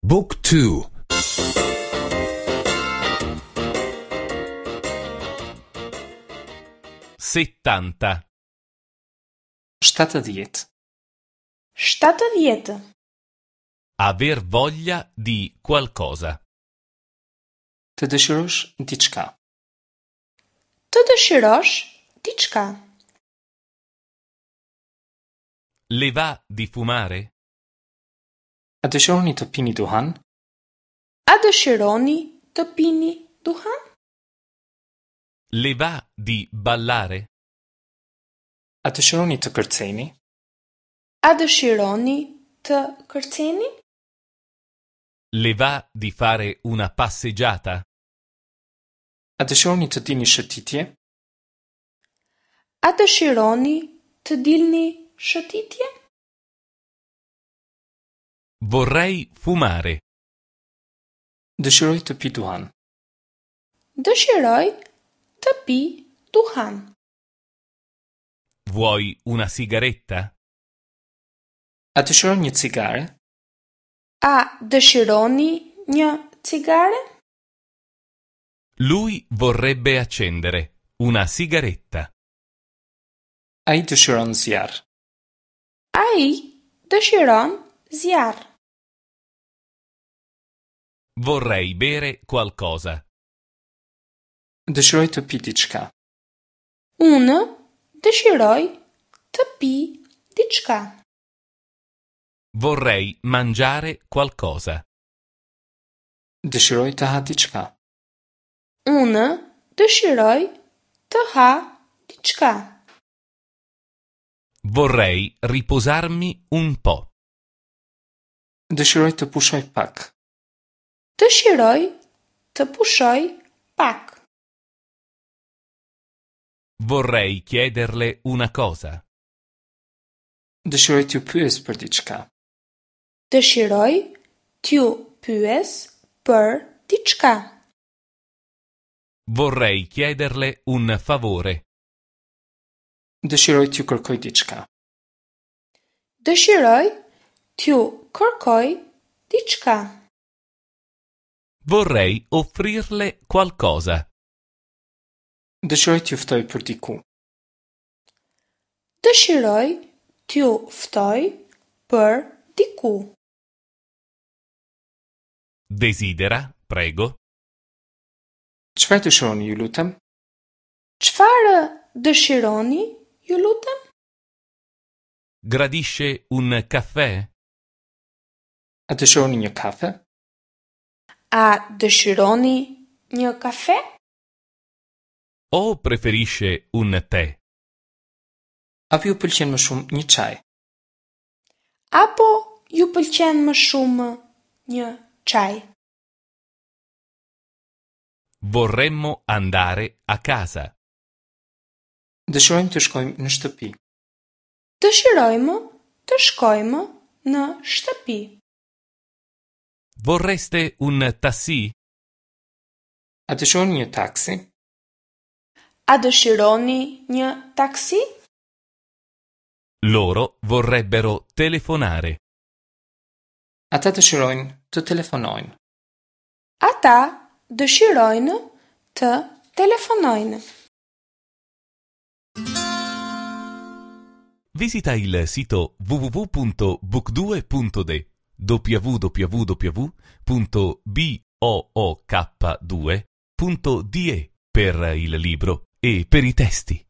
บุ๊กทู 70. 70. 70. Aver voglia di qualcosa. Të dëshirosh diçka. Të dëshirosh diçka. Le va di fumare? A dëshironi të pini duhan? A dëshironi të pini duhan? Le va di ballare? A dëshironi të kërceni? A dëshironi të kërceni? Le va di fare una passeggiata? A dëshironi të dilni shëtitje? A dëshironi të dilni shëtitje? Vorrei fumare. Dëshiroj të pi duhan. Dëshiroj të pi duhan. Vuoi una sigaretta? A dëshiron një cigare? A dëshironi një cigare? Lui vorrebbe accendere una sigaretta. Ai dëshiron zjarr. Ai dëshiron zjarr. Vorrei bere qualcosa. Dëshiroj të pi diçka. Unë dëshiroj të pi diçka. Vorrei mangiare qualcosa. Dëshiroj të ha diçka. Unë dëshiroj të ha diçka. Vorrei riposarmi un po'. Dëshiroj të pushoj pak. Dëshiroj të pushoj pak. Vorrei chiederle una cosa. Dëshiroj t'ju pyes për diçka. Dëshiroj t'ju pyes për diçka. Vorrei chiederle un favore. Dëshiroj t'ju kërkoj diçka. Dëshiroj t'ju kërkoj diçka. Vorrei offrirle qualcosa. Dëshiroj t'ju ftoj për diku. Dëshiroj t'ju ftoj për diku. Desidera, prego. Çfarë dëshironi, ju lutem? Çfarë dëshironi, ju lutem? Gradisce un caffè? A dëshironi një kafe? A dëshironi një kafe? O preferisce un tè? Apo ju pëlqen më shumë një çaj? Apo ju pëlqen më shumë një çaj? Vorremmo andare a casa. Dëshirojmë të shkojmë në shtëpi. Dëshirojmë të shkojmë në shtëpi. Vorreste un tassì? A dëshironi një taksi? A dëshironi një taksi? Loro vorrebbero telefonare. Ata dëshirojnë të telefonojnë. Ata dëshirojnë të telefonojnë. Visita il sito www.book2.de www.book2.de per il libro e per i testi.